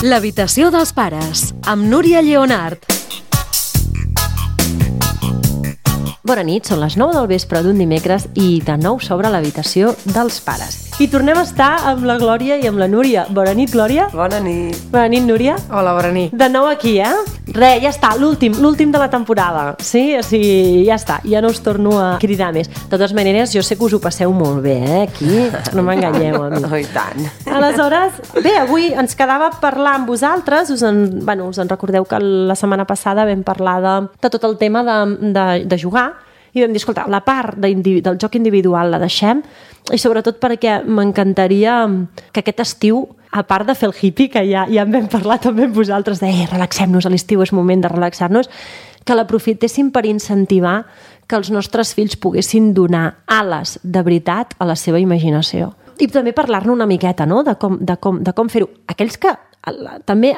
L'habitació dels pares, amb Núria Lleonart. Bona nit, són les 9 del vespre d'un dimecres i de nou s'obre l'habitació dels pares. I tornem a estar amb la Glòria i amb la Núria. Bona nit, Glòria. Bona nit. Bona nit, Núria. Hola, bona nit. De nou aquí, ja està, l'últim de la temporada. Sí, o sigui, ja està, ja no us torno a cridar més. De totes maneres, jo sé que us ho passeu molt bé, aquí, no m'enganyeu a mi. Oh, i tant. Aleshores, bé, avui ens quedava parlar amb vosaltres, us en recordeu que la setmana passada vam parlar de tot el tema de jugar, i vam dir, escolta, la part del joc individual la deixem, i sobretot perquè m'encantaria que aquest estiu, a part de fer el hippie, que ja en vam parlar també amb vosaltres, de relaxem-nos, a l'estiu és moment de relaxar-nos, que l'aprofitéssim per incentivar que els nostres fills poguessin donar ales de veritat a la seva imaginació. I també parlar-ne una miqueta, no?, de com fer-ho. Aquells que també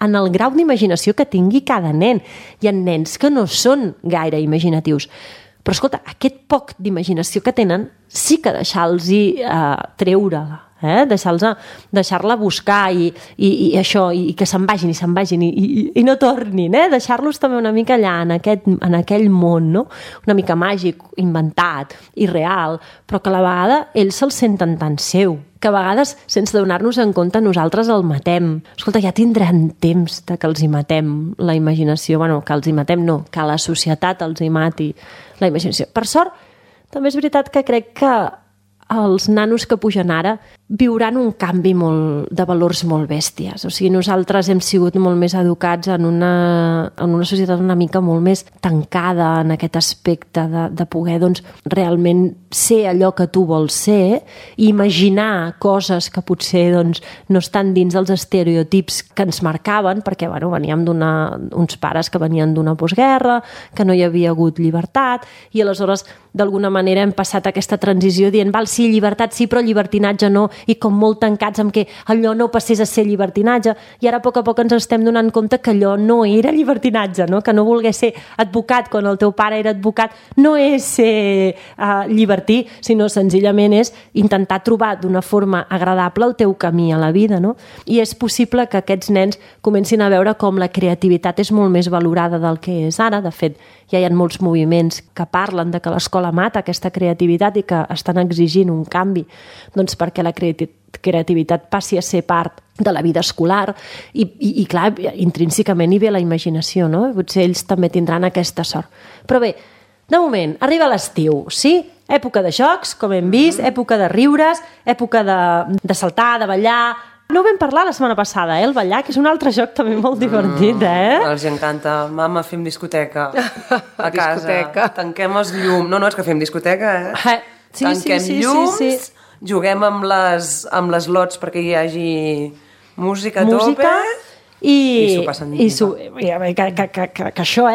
en el grau d'imaginació que tingui cada nen. Hi ha nens que no són gaire imaginatius. Però, escolta, aquest poc d'imaginació que tenen sí que deixar-los treure-la, deixar-la buscar i això, i que se'n vagin i no tornin, deixar-los també una mica allà en aquell món, no? Una mica màgic, inventat, irreal, però que a la vegada ells se'l senten tan seu, que a vegades, sense donar-nos en compte, nosaltres el matem. Escolta, ja tindran temps de que els hi matem la imaginació. Bueno, que els hi matem no, que la societat els hi mati la imaginació. Per sort, també és veritat que crec que els nanos que pugen ara viuran un canvi de valors molt bèsties. O sigui, nosaltres hem sigut molt més educats en una societat una mica molt més tancada en aquest aspecte de poder realment ser allò que tu vols ser i imaginar coses que potser no estan dins dels estereotips que ens marcaven, perquè veníem uns pares que venien d'una postguerra, que no hi havia hagut llibertat, i aleshores d'alguna manera hem passat aquesta transició dient, val, sí, llibertat sí, però llibertinatge no, i com molt tancats amb que allò no passés a ser llibertinatge, i ara a poc ens estem donant compte que allò no era llibertinatge, no? Que no voler ser advocat quan el teu pare era advocat no és ser llibertí, sinó senzillament és intentar trobar d'una forma agradable el teu camí a la vida, no? I és possible que aquests nens comencin a veure com la creativitat és molt més valorada del que és ara. De fet, ja hi ha molts moviments que parlen de que l'escola mata aquesta creativitat i que estan exigint un canvi, doncs perquè la creativitat passi a ser part de la vida escolar i clar, intrínsecament hi ve la imaginació, no? Potser ells també tindran aquesta sort. Però bé, de moment, arriba l'estiu, sí? Època de jocs, com hem vist, època de riures, època de saltar, de ballar. No ho vam parlar la setmana passada, el ballar, que és un altre joc també molt divertit, Els encanta. Mama, fem discoteca a casa. Discoteca. Tanquem els llums. No, és que fem discoteca, Tanquem llums, juguem amb les lots perquè hi hagi música a tope i s'ho passen que això,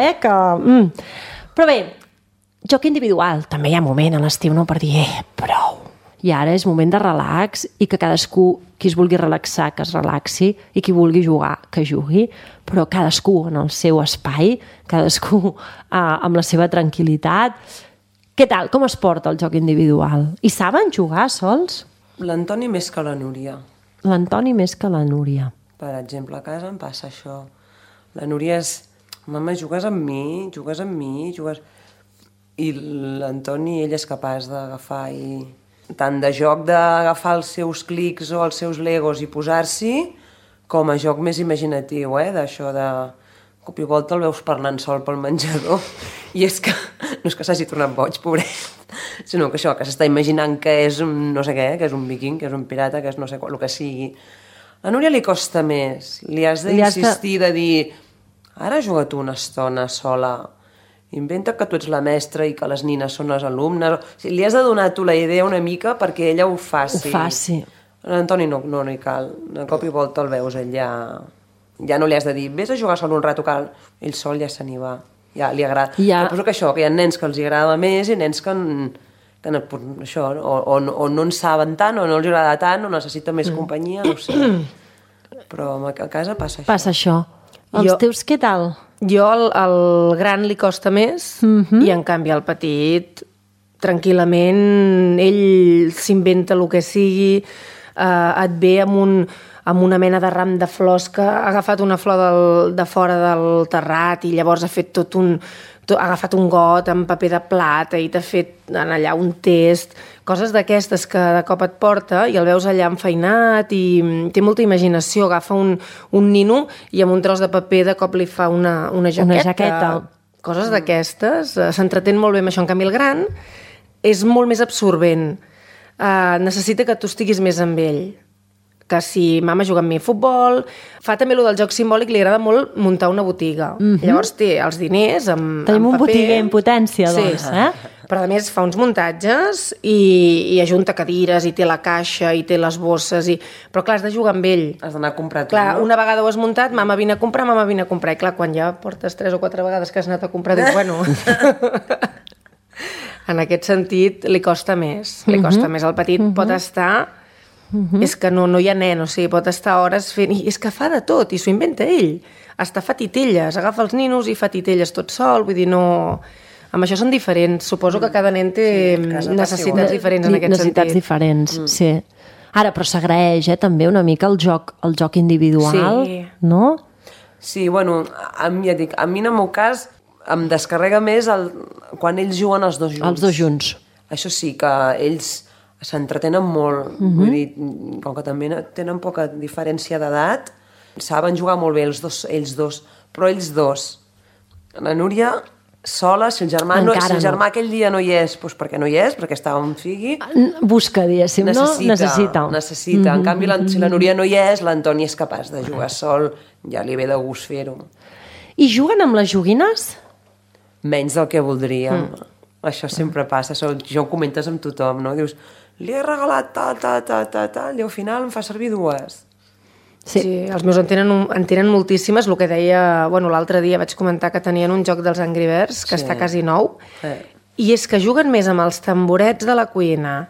Però bé, joc individual. També hi ha moment a l'estiu, no?, per dir, prou. I ara és moment de relax i que cadascú, qui es vulgui relaxar, que es relaxi, i qui vulgui jugar, que jugui, però cadascú en el seu espai, cadascú amb la seva tranquil·litat. Què tal? Com es porta el joc individual? I saben jugar sols? L'Antoni més que la Núria. L'Antoni més que la Núria. Per exemple, a casa em passa això. La Núria és... Mama, jugues amb mi? I l'Antoni, ell és capaç d'agafar tant de joc d'agafar els seus clics o els seus legos i posar-s'hi, com a joc més imaginatiu, d'això de... Cop i volta el veus parlant sol pel menjador i és que no és que s'hagi tornat boig, pobret, sinó que això, que s'està imaginant que és un no sé què, que és un viking, que és un pirata, que és no sé què, el que sigui. A Núria li costa més, li has d'insistir de dir, ara juga tu una estona sola, inventa que tu ets la mestra i que les nines són les alumnes, o sigui, li has de donar tu la idea una mica perquè ella ho faci. L'Antoni no hi cal, de cop i volta el veus, ell ja no li has de dir, vés a jugar sol un rato, que ell sol ja se n'hi va, ja li agrada. Suposo que això, que hi ha nens que els agrada més i nens que això, o no en saben tant, o no els agrada tant, o necessita més companyia, no ho sé. Però a casa passa això. Passa això. Els teus què tal? Jo al gran li costa més i en canvi al petit tranquil·lament ell s'inventa el que sigui, et ve amb amb una mena de ram de flors que ha agafat una flor de fora del terrat i llavors ha fet ha agafat un got amb paper de plata i t'ha fet allà un test, coses d'aquestes que de cop et porta i el veus allà enfeinat i té molta imaginació, agafa un nino i amb un tros de paper de cop li fa una jaqueta. Una jaqueta. Coses d'aquestes, s'entretén molt bé amb això. En canvi, el gran és molt més absorbent. Necessita que tu estiguis més amb ell. Que si mama juga amb mi a futbol, fa també allò del joc simbòlic, li agrada molt muntar una botiga. Llavors té els diners amb Tenim un paper. botiguer en potència, doncs. Però a més fa uns muntatges i ajunta cadires i té la caixa i té les bosses però clar, has de jugar amb ell. Has d'anar a comprar tu, clar, no? Una vegada ho has muntat, mama vine a comprar i clar, quan ja portes 3 o 4 vegades que has anat a comprar, dius, bueno... En aquest sentit li costa més. Li costa més. El petit pot estar... És que no hi ha nen, o sigui, pot estar hores fent... I és que fa de tot, i s'ho inventa ell. Està fa titelles, agafa els ninos i fa titelles tot sol, vull dir, no... Amb això són diferents. Suposo que cada nen té necessitats diferents en aquest sentit. Necessitats diferents, sí. Ara, però s'agraeix, també, una mica el joc individual, no? Sí, bueno, a mi en el meu cas em descarrega més quan ells juguen els dos junts. Els dos junts. Això sí, que ells s'entretenen molt. Vull dir, com que també tenen poca diferència d'edat, saben jugar molt bé ells dos, però ells dos. La Núria sola, si el germà aquell dia no hi és, doncs perquè no hi és, perquè estava en figui. Busca, diguéssim, necessita. En canvi, si la Núria no hi és, l'Antoni és capaç de jugar sol, ja li ve de gust fer-ho. I juguen amb les joguines? Menys del que voldríem. Això sempre passa, jo ho comentes amb tothom, no? Dius, li he regalat tal, i al final em fa servir 2. Sí, els meus en tenen moltíssimes. El que deia, l'altre dia vaig comentar que tenien un joc dels Angry Birds, que està quasi nou, i és que juguen més amb els tamborets de la cuina,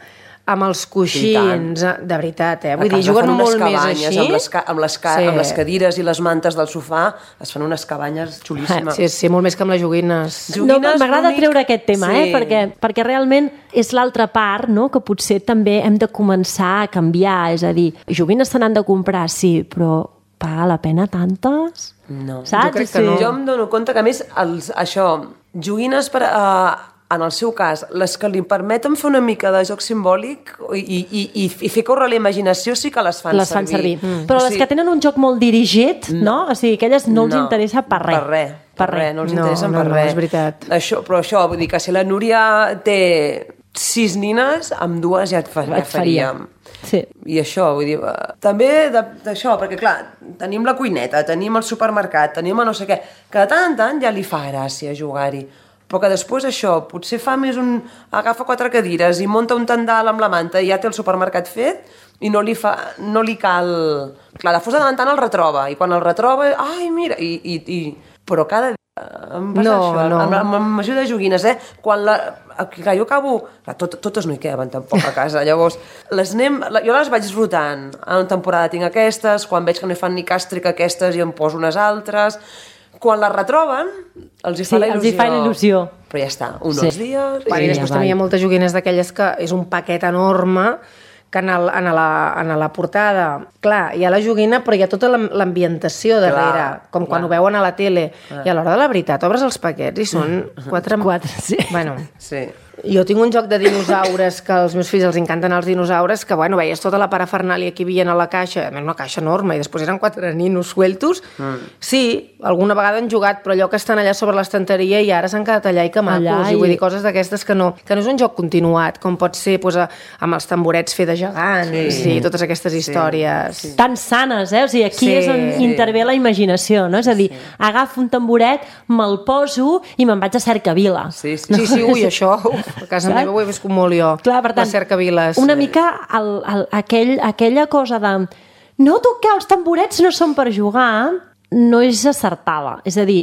amb els coixins, de veritat, Vull dir, juguen molt més així. Amb les cadires i les mantes del sofà es fan unes cabanyes xulíssimes. Sí, molt més que amb les joguines. No, m'agrada treure aquest tema, perquè realment és l'altra part, no?, que potser també hem de començar a canviar, és a dir, joguines se n'han de comprar, sí, però paga la pena tantes? No. Saps? Jo crec que no. Jo em dono compte que, a més, joguines per... En el seu cas, les que li permeten fer una mica de joc simbòlic i fer córrer la imaginació sí que les fan servir. Però les que tenen un joc molt dirigit, no? O sigui, aquelles no els interessa per res. Per res, no els interessen per res. No, és veritat. Però això, vull dir que si la Núria té 6 nines, amb 2 ja et faríem. Sí. I això, vull dir, també d'això, perquè clar, tenim la cuineta, tenim el supermercat, tenim el no sé què, que de tant en tant ja li fa gràcia jugar-hi. Però que després això, potser fa més agafa 4 cadires i munta un tendal amb la manta i ja té el supermercat fet i no li cal... Clar, de fos de tant en tant el retroba i quan el retroba, ai, mira, però cada dia em passa això, amb major de joguines, Clar, jo acabo... Totes no hi caben tampoc a casa, llavors jo les vaig rotant. En una temporada tinc aquestes, quan veig que no hi fan ni càstrica aquestes i em poso unes altres... Quan la retroben, els hi fa la il·lusió. Però ja està, uns dies... I després també hi ha moltes joguines d'aquelles que és un paquet enorme que en la portada, clar, hi ha la joguina, però hi ha tota l'ambientació darrere, com quan ho veuen a la tele. I a l'hora de la veritat, obres els paquets i són 4... Sí. Bueno, sí. Jo tinc un joc de dinosaures que als meus fills els encanten els dinosaures, que veies tota la parafernàlia que hi havia a la caixa, una caixa enorme, i després eren 4 ninos sueltos. Sí, alguna vegada han jugat, però allò que estan allà sobre l'estanteria i ara s'han quedat allà i que macos, i vull dir coses d'aquestes que no és un joc continuat, com pot ser amb els tamborets fer de gegants i totes aquestes històries. Sí. Tan sanes, O sigui, aquí és on intervé la imaginació, no? És a dir, agafo un tamboret, me'l poso i me'n vaig a Cercavila. Sí, ui, això... A casa meva ho he viscut molt jo. Clar, per tant, Cercaviles. Una mica aquella cosa de noto que els tamborets no són per jugar, no és acertada. És a dir,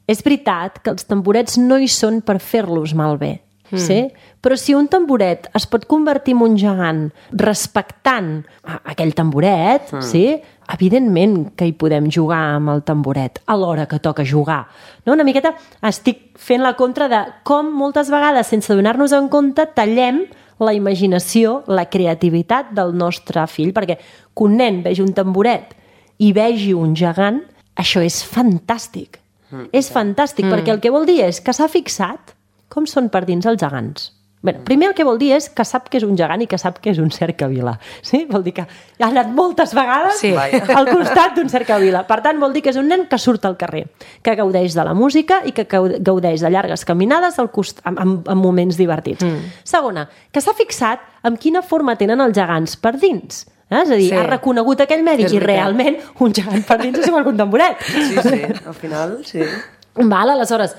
és veritat que els tamborets no hi són per fer-los malbé. Sí? Però si un tamboret es pot convertir en un gegant respectant aquell tamboret, sí? Evidentment que hi podem jugar amb el tamboret a l'hora que toca jugar. No? Una miqueta estic fent la contra de com moltes vegades, sense donar-nos en compte, tallem la imaginació, la creativitat del nostre fill, perquè que un nen vegi un tamboret i vegi un gegant, això és fantàstic. És fantàstic, perquè el que vol dir és que s'ha fixat com són per dins els gegants. Bé, primer el que vol dir és que sap que és un gegant i que sap que és un cercavila. Sí? Vol dir que ha anat moltes vegades al costat d'un cercavila. Per tant, vol dir que és un nen que surt al carrer, que gaudeix de la música i que gaudeix de llargues caminades en moments divertits. Segona, que s'ha fixat en quina forma tenen els gegants per dins. És a dir, ha reconegut aquell medi i realment un gegant per dins és igual que un tamboret. Sí, al final, sí. Val, aleshores,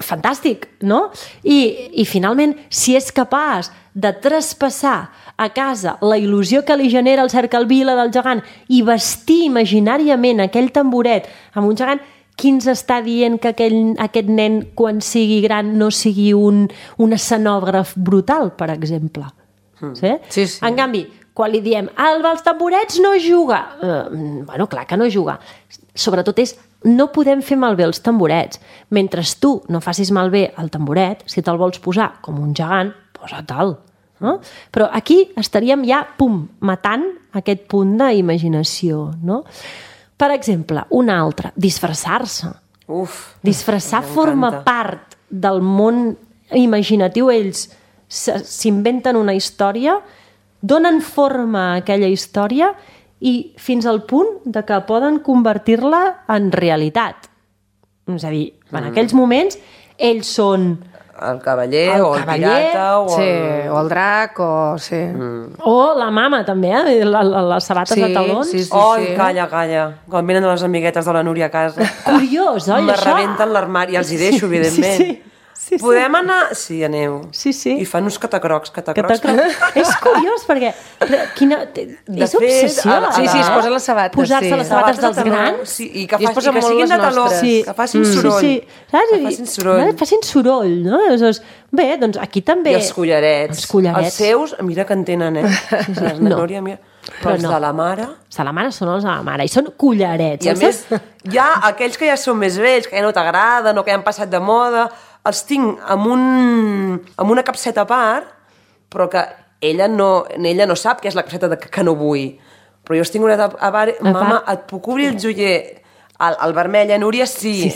fantàstic, no? I finalment, si és capaç de traspassar a casa la il·lusió que li genera el cercavila del gegant i vestir imaginàriament aquell tamboret amb un gegant, qui ens està dient que aquest nen, quan sigui gran, no sigui un escenògraf brutal, per exemple? Sí? En canvi, quan li diem, els tamborets no juga, bueno, clar que no juga. Sobretot no podem fer malbé els tamborets. Mentre tu no facis malbé el tamboret, si te'l vols posar com un gegant, posa-te'l. No? Però aquí estaríem ja, matant aquest punt d'imaginació. No? Per exemple, una altra, disfressar-se. Disfressar forma part del món imaginatiu. Ells s'inventen una història, donen forma a aquella història i fins al punt de que poden convertir-la en realitat. És a dir, en aquells moments, ells són el cavaller o el pirata o el drac o la mama també, les sabates de talons. Calla, quan venen les amiguetes de la Núria a casa curiós, oi, me rebenten l'armari i els hi deixo, evidentment. Podem anar? Sí, aneu. I fan uns catacrocs. És curiós, perquè és obsessió. Es posen les sabates. Posar-se les sabates dels grans. I que siguin de taló, que facin soroll. Que facin soroll, no? Bé, doncs aquí també... I els collarets. Els seus, mira que en tenen, La Núria, mira... Però els de la mare... Els de la mare són els de la mare, i són collarets. I a més, hi ha aquells que ja són més vells, que ja no t'agraden o que ja han passat de moda, els tinc amb una capseta a part, però que ella no sap que és la capseta que no vull. Però jo els tinc una a part, mama, et puc obrir el joier al vermell, Núria? Sí.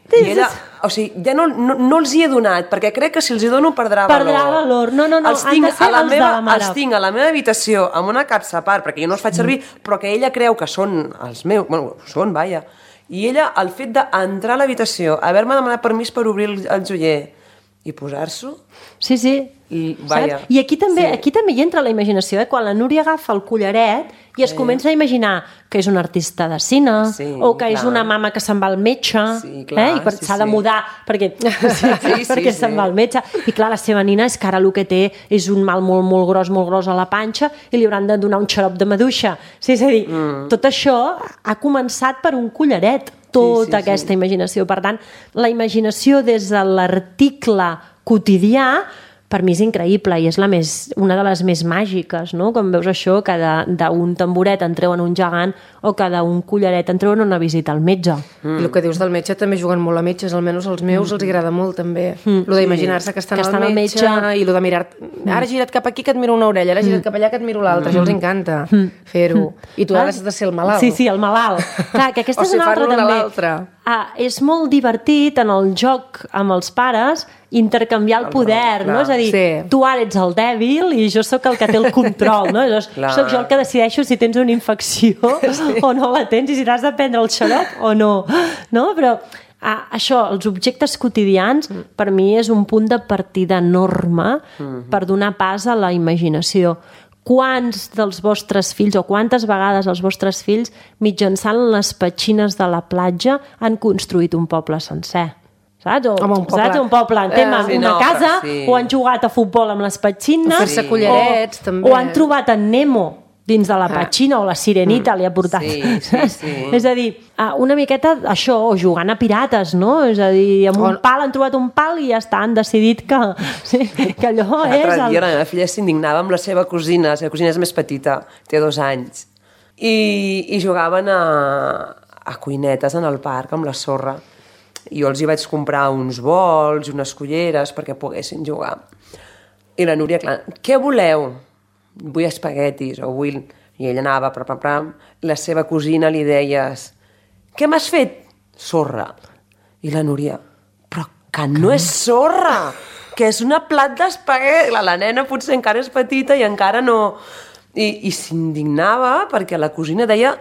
I ella, o sigui, ja no els hi he donat, perquè crec que si els hi dono perdrà valor. No, han de ser els de la mare. Els tinc a la meva habitació amb una capsa a part, perquè jo no els faig servir, però que ella creu que són els meus, bueno, són, vaja. I ella, el fet d'entrar a l'habitació, haver-me demanat permís per obrir el joier i posar-s'ho... Sí. I aquí també hi entra la imaginació, quan la Núria agafa el collaret i es comença a imaginar que és un artista de cine o que és una mama que se'n va al metge i s'ha de mudar perquè se'n va al metge i clar, la seva nina és que ara el que té és un mal molt gros a la panxa i li hauran de donar un xarop de maduixa. És a dir, tot això ha començat per un collaret, tota aquesta imaginació. Per tant, la imaginació des de l'article quotidià per mi és increïble i és una de les més màgiques, no? Quan veus això, que d'un tamboret en treuen un gegant o que d'un collaret en treuen una visita al metge. I el que dius del metge també juguen molt a metges, almenys els meus els agrada molt també. Lo d'imaginar-se que estan al metge i lo de mirar, ara gira't cap aquí que et miro una orella, ara gira't cap allà que et miro l'altra, això els encanta fer-ho. I tu has de ser el malalt. Sí, el malalt. Clar, que aquesta és una altra també. És molt divertit en el joc amb els pares intercanviar el poder, no? És a dir, tu ara ets el dèbil i jo sóc el que té el control, no? Soc jo el que decideixo si tens una infecció o no la tens i si t'has de prendre el xarop o no, però això, els objectes quotidians per mi és un punt de partida enorme per donar pas a la imaginació. Quants dels vostres fills o quantes vegades els vostres fills mitjançant les petxines de la platja han construït un poble sencer? Saps? Un poble en tema, una casa, o han jugat a futbol amb les petxines, fer-se collarets, també. O han trobat en Nemo dins de la petxina, o la Sirenita li ha portat. És a dir, una miqueta això, o jugant a pirates, no? És a dir, amb un pal han trobat un pal i ja està, han decidit que allò és... L'altre dia la meva filla s'indignava amb la seva cosina és més petita, té 2 anys, i jugaven a cuinetes en el parc amb la sorra. I jo els hi vaig comprar uns bols i unes culleres perquè poguessin jugar. I la Núria, clar, què voleu? Vull espaguetis, o vull... I ella anava, la seva cosina li deies, què m'has fet? Sorra. I la Núria, però que no és sorra, que és una plat d'espaguet. La nena potser encara és petita i encara no... I s'indignava perquè la cosina deia,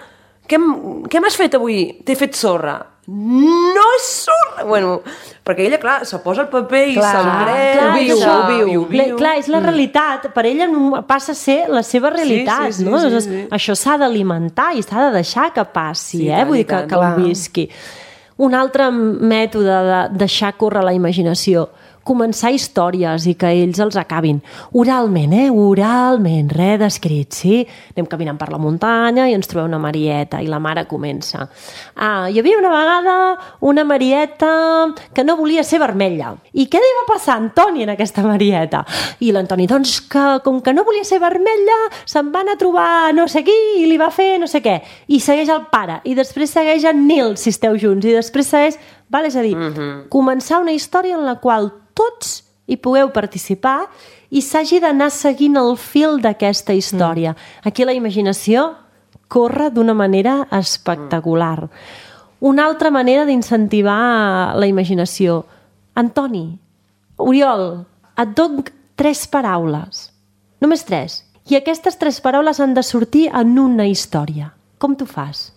què m'has fet avui? T'he fet sorra. No és sorra! Bueno, perquè ella, clar, se posa el paper i se'l creu. Ho viu. Clar, és la realitat. Per ella passa a ser la seva realitat, no? Sí. Això s'ha d'alimentar i s'ha de deixar que passi, vull dir, que ho visqui. Un altre mètode de deixar córrer la imaginació, començar històries i que ells els acabin. Oralment, oralment, res d'escrit, sí? Anem caminant per la muntanya i ens trobem una Marieta i la mare comença. Hi havia una vegada una Marieta que no volia ser vermella. I què li va passar a Antoni en aquesta Marieta? I l'Antoni, doncs, que com que no volia ser vermella, se'n van a trobar no sé qui i li va fer no sé què. I segueix el pare, i després segueix en Nil, si esteu junts, i després segueix... Val? És a dir, començar una història en la qual tots hi pugueu participar i s'hagi d'anar seguint el fil d'aquesta història. Aquí la imaginació corre d'una manera espectacular. Una altra manera d'incentivar la imaginació. Antoni, Oriol, et dono 3 paraules. Només 3. I aquestes 3 paraules han de sortir en una història. Com t'ho fas?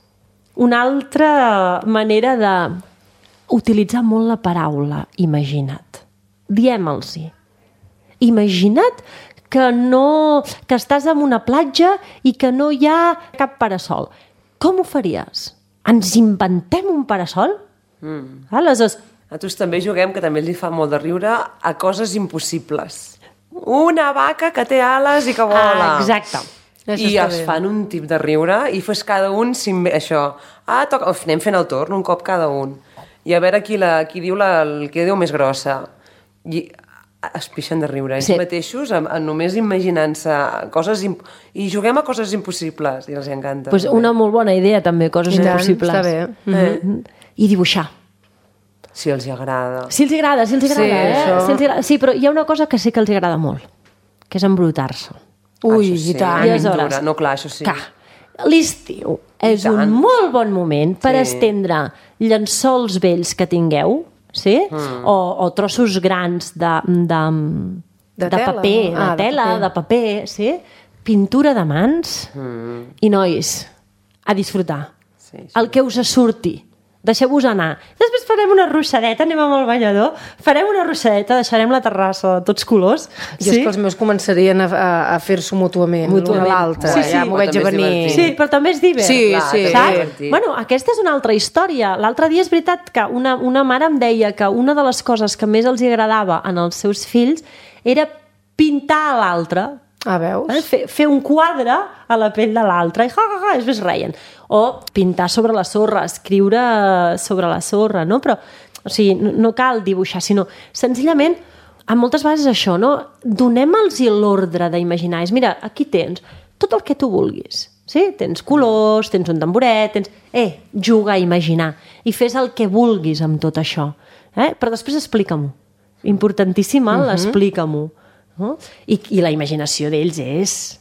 Una altra manera de utilitzar molt la paraula imagina't. Diem-los-hi. Imagina't que estàs en una platja i que no hi ha cap parasol. Com ho faries? Ens inventem un parasol? Aleshores, nosaltres també juguem, que també li fa molt de riure, a coses impossibles. Una vaca que té ales i que vola. Exacte. I es fan un tip de riure i fes cada un això. Anem fent el torn, un cop cada un. I a veure qui diu més grossa. I es pixen de riure ells mateixos, només imaginant-se coses... I juguem a coses impossibles, i els encanta. Pues una molt bona idea, també, coses impossibles. Està bé. I dibuixar. Si els agrada. Si els agrada. Sí, però hi ha una cosa que sí que els agrada molt, que és embrutar-se. Ui, i tant. I aleshores, no, clar, això sí. L'estiu és un molt bon moment per estendre llençols vells que tingueu, sí? O trossos grans de paper, de tela, de paper, sí? Pintura de mans i, nois, a disfrutar. El que us surti. Deixeu-vos anar. Després farem una russadeta, anem amb el banyador, farem una russadeta, deixarem la terrassa de tots colors. Jo és que els meus començarien a fer-s'ho mútuament, l'un a l'altre. Ja m'ho veig a venir. Sí, però també és divert. Sí. Bueno, aquesta és una altra història. L'altre dia és veritat que una mare em deia que una de les coses que més els agradava en els seus fills era pintar a l'altre. Veus? Fer un quadre a la pell de l'altre i després reien. O pintar sobre la sorra, escriure sobre la sorra, no? Però, o sigui, no cal dibuixar, sinó senzillament, moltes vegades això, no? Donem-los l'ordre d'imaginar. Mira, aquí tens tot el que tu vulguis. Sí? Tens colors, tens un tamboret, juga a imaginar. I fes el que vulguis amb tot això. Però després explica-m'ho. Importantíssima, l'explica-m'ho. I la imaginació d'ells és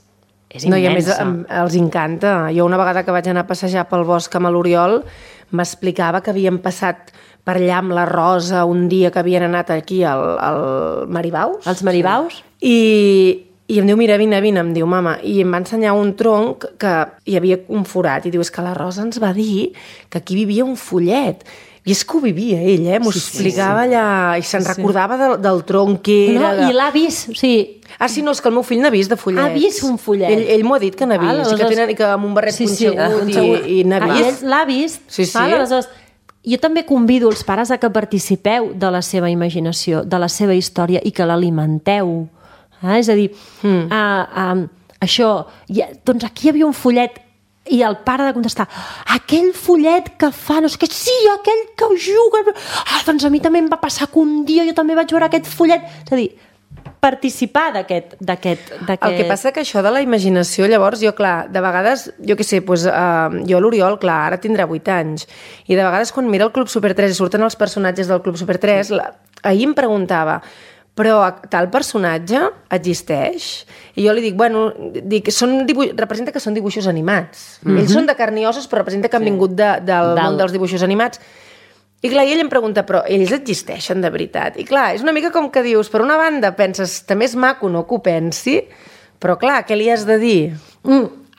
immensa. I a més els encanta. Jo una vegada que vaig anar a passejar pel bosc amb l'Oriol m'explicava que havien passat per allà amb la Rosa un dia que havien anat aquí al Maribaus. Els Maribaus? I em diu, mira, vine, em diu, mama. I em va ensenyar un tronc que hi havia un forat. I diu, és que la Rosa ens va dir que aquí vivia un follet. I és que ho vivia ell, m'ho explicava allà, i se'n recordava del tronc que era... I l'ha vist, o sigui... Sí, no, és que el meu fill n'ha vist de follets. Ha vist un follet. Ell m'ho ha dit que n'ha vist, i que amb un barret punxegut i n'ha vist. L'ha vist. Aleshores, jo també convido els pares a que participeu de la seva imaginació, de la seva història, i que l'alimenteu. És a dir, això, doncs aquí hi havia un follet, i el pare de contestar, aquell follet que fa, no sé què, sí, aquell que juga, doncs a mi també em va passar que un dia jo també vaig veure aquest follet. És a dir, participar d'aquest... El que passa que això de la imaginació, llavors, jo, clar, de vegades, jo què sé, jo l'Oriol, clar, ara tindrà 8 anys, i de vegades quan mira el Club Super 3 i surten els personatges del Club Super 3, ahir em preguntava, però tal personatge existeix? I jo li dic, bueno, representa que són dibuixos animats. Ells són de carn i ossos, però representa que han vingut del món dels dibuixos animats. I clar, ell em pregunta, però ells existeixen de veritat? I clar, és una mica com que dius, per una banda penses, també és maco, no que ho pensi, però clar, què li has de dir?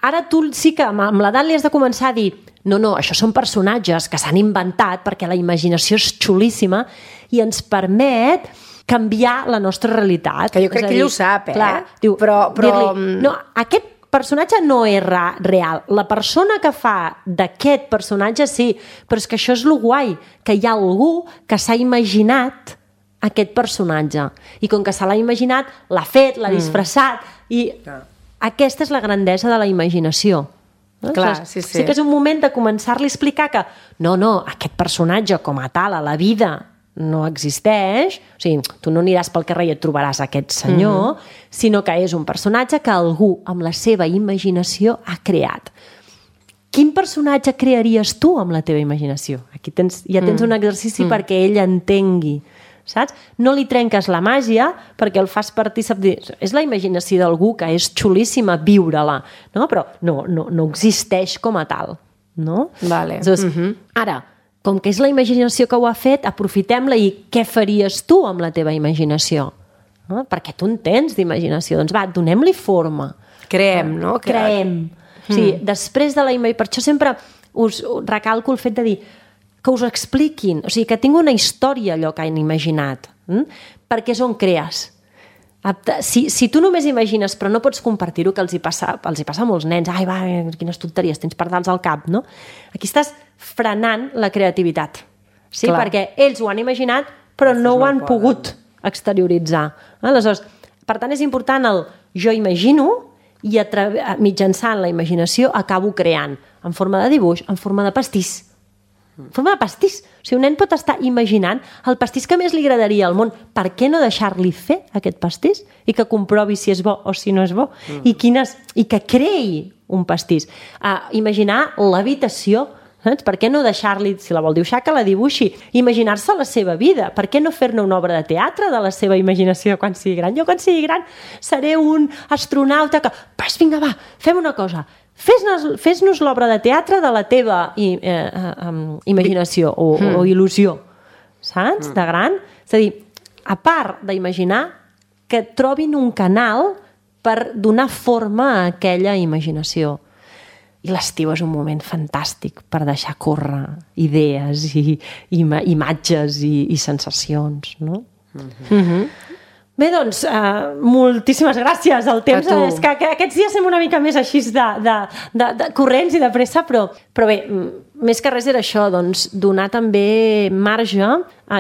Ara tu sí que amb l'edat li has de començar a dir no, això són personatges que s'han inventat perquè la imaginació és xulíssima i ens permet canviar la nostra realitat. Que jo crec que ell ho sap, Clar, diu, però... No, aquest personatge no és real. La persona que fa d'aquest personatge sí, però és que això és lo guai, que hi ha algú que s'ha imaginat aquest personatge. I com que se l'ha imaginat, l'ha fet, l'ha disfressat, i aquesta és la grandesa de la imaginació. No? Clar, sí. Sí que és un moment de començar-li a explicar que no, aquest personatge com a tal a la vida no existeix, o sigui, tu no aniràs pel carrer i et trobaràs aquest senyor, sinó que és un personatge que algú amb la seva imaginació ha creat. Quin personatge crearies tu amb la teva imaginació? Aquí ja tens un exercici perquè ell entengui, saps? No li trenques la màgia perquè el fas partícip. És la imaginació d'algú que és xulíssima viure-la, no? Però no existeix com a tal, no? Vale. Ara, com que és la imaginació que ho ha fet, aprofitem-la i què faries tu amb la teva imaginació? No? Perquè tu en tens d'imaginació. Doncs va, donem-li forma. Creem, no? Creem. Sí, després de la imaginació... Per això sempre us recalco el fet de dir que us expliquin, o sigui, que tingui una història allò que han imaginat, perquè és on crees. Si tu només imagines però no pots compartir-ho, que els hi passa a molts nens, ai va, quines tonteries, tens pardals al cap, no? Aquí estàs frenant la creativitat, sí? Perquè ells ho han imaginat però no ho han pogut exterioritzar. Aleshores, per tant és important el jo imagino i mitjançant la imaginació acabo creant, en forma de dibuix, en forma de pastís. En forma de pastís. O sigui, un nen pot estar imaginant el pastís que més li agradaria al món. Per què no deixar-li fer aquest pastís i que comprovi si és bo o si no és bo? I que creï un pastís. Imaginar l'habitació, saps? Per què no deixar-li, si la vol dibuixar, que la dibuixi? Imaginar-se la seva vida. Per què no fer-ne una obra de teatre de la seva imaginació quan sigui gran? Jo quan sigui gran seré un astronauta que... Pues vinga, va, fem una cosa. Fes-nos l'obra de teatre de la teva imaginació o il·lusió, saps? De gran. És a dir, a part d'imaginar, que trobin un canal per donar forma a aquella imaginació. I l'estiu és un moment fantàstic per deixar córrer idees i imatges i sensacions, no? Bé, doncs, moltíssimes gràcies. El temps és que aquests dies som una mica més així de corrents i de pressa, però bé, més que res era això, doncs, donar també marge,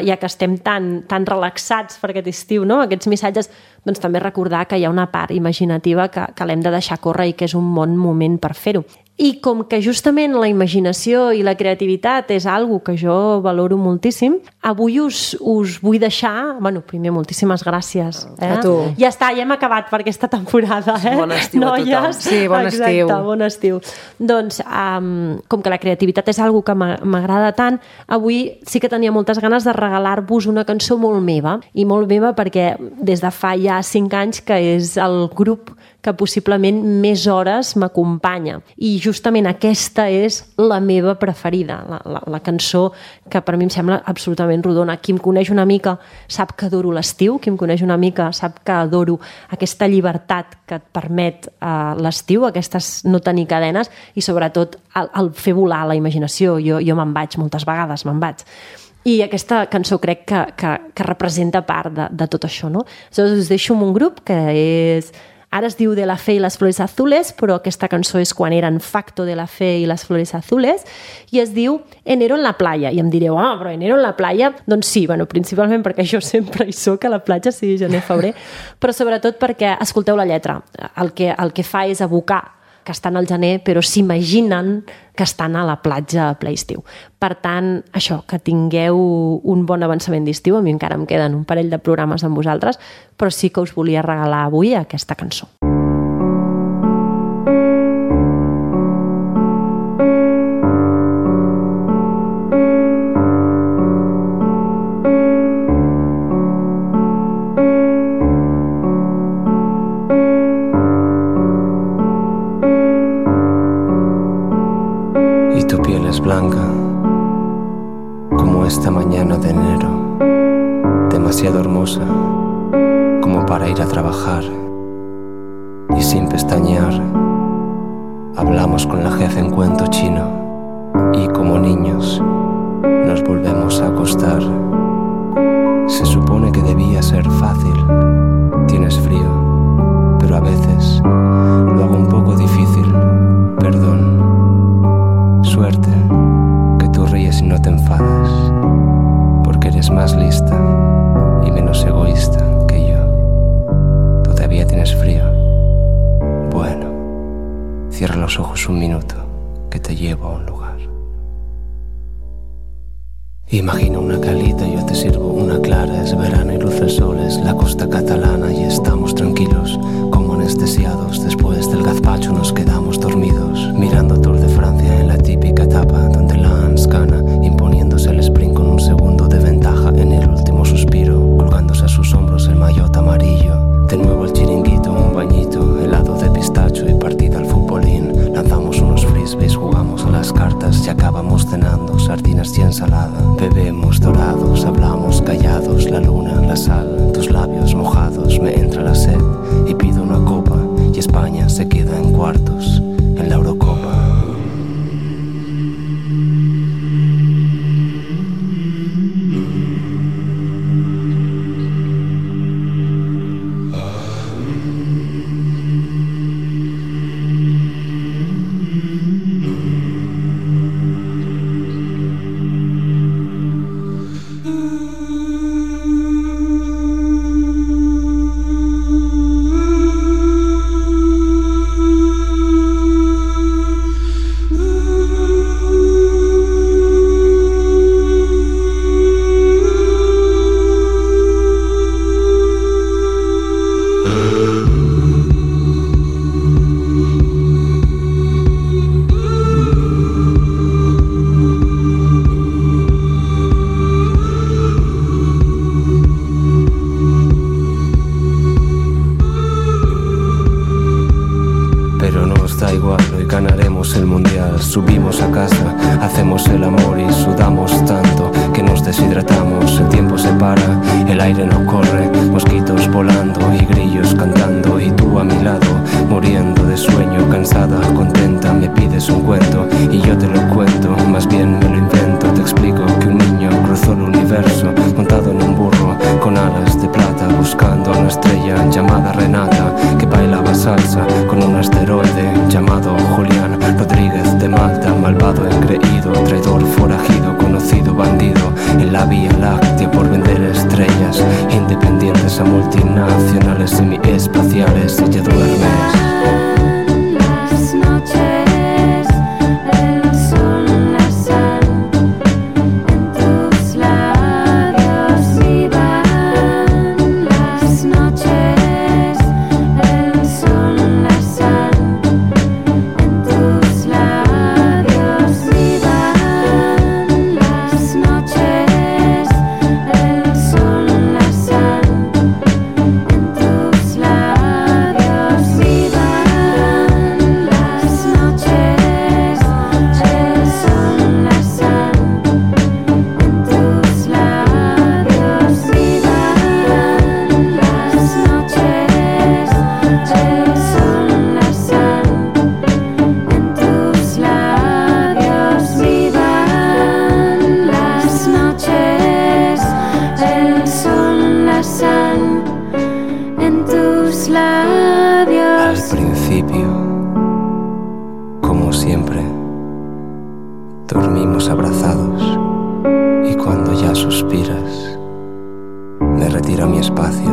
ja que estem tan relaxats per aquest estiu, no? Aquests missatges, doncs també recordar que hi ha una part imaginativa que l'hem de deixar córrer i que és un bon moment per fer-ho. I com que justament la imaginació i la creativitat és algo que jo valoro moltíssim, avui us vull deixar... Bueno, primer, moltíssimes gràcies. A tu. Ja està, ja hem acabat per aquesta temporada. Bon estiu a tothom. Sí, bon estiu. Exacte, bon estiu. Doncs, com que la creativitat és algo que m'agrada tant, avui sí que tenia moltes ganes de regalar-vos una cançó molt meva, i molt meva perquè des de fa ja 5 anys que és el grup que possiblement més hores m'acompanya. I justament aquesta és la meva preferida, la cançó que per mi em sembla absolutament rodona. Qui em coneix una mica sap que adoro l'estiu, qui em coneix una mica sap que adoro aquesta llibertat que et permet l'estiu, aquestes no tenir cadenes i sobretot el fer volar la imaginació. Jo me'n vaig, moltes vegades me'n vaig. I aquesta cançó crec que representa part de tot això, no? Aleshores us deixo amb un grup que és... Ara es diu De la Fe y las Flores Azules, però aquesta cançó és quan eren Facto de la Fe y las Flores Azules, i es diu Enero en la playa. I em direu, però Enero en la playa? Doncs sí, principalment perquè jo sempre hi soc a la platja, sigui gener, febrer, però sobretot perquè, escolteu la lletra, el que fa és evocar que estan al gener, però s'imaginen que estan a la platja a ple estiu. Per tant, això, que tingueu un bon avançament d'estiu. A mi encara em queden un parell de programes amb vosaltres, però sí que us volia regalar avui aquesta cançó. tu piel es blanca como esta mañana de enero, demasiado hermosa como para ir a trabajar. Y sin pestañear hablamos con la jefa en cuento chino y como niños nos volvemos a acostar. Se supone que debía ser fácil, tienes frío, pero a veces lo hago un poco difícil. Perdón, suerte, que tú ríes y no te enfadas, porque eres más lista y menos egoísta que yo. ¿Todavía tienes frío? Bueno, cierra los ojos un minuto, que te llevo a un lugar. Imagina una calita, yo te sirvo una clara. Es verano y luce el sol, es la costa catalana y estamos tranquilos, como anestesiados. Después del gazpacho nos quedamos dormidos, mirando Tour de Francia en la típica etapa donde Lance gana, imponiéndose el sprint con un segundo de ventaja en el último suspiro, colgándose a sus hombros el maillot amarillo. De nuevo el chiringuito, un bañito, helado de pistacho y partida al futbolín. Lanzamos unos frisbees, jugamos a las cartas y acabamos cenando sardinas y ensalada. Bebemos dorados, hablamos callados, la luna, la sal, tus labios mojados. Me entra la sed y pido una copa y España se queda en cuartos en la Eurocopa. Subimos a casa, hacemos el amor y sudamos tanto que nos deshidratamos. El tiempo se para, el aire no corre, mosquitos volando y grillos cantando. Y tú a mi lado, muriendo de sueño, cansada, contenta, me pides un cuento y yo te lo cuento, más bien me lo invento. Te explico que un niño cruzó el universo montado en un burro con alas de plata, buscando a una estrella llamada Renata, que bailaba salsa con un asteroide llamado Julián Rodríguez de Malta. Malvado, engreído, traidor, forajido, conocido, bandido en la Vía Láctea por vender estrellas, independientes a multinacionales semiespaciales. Ella duerme. Dormimos abrazados y cuando ya suspiras, me retiro a mi espacio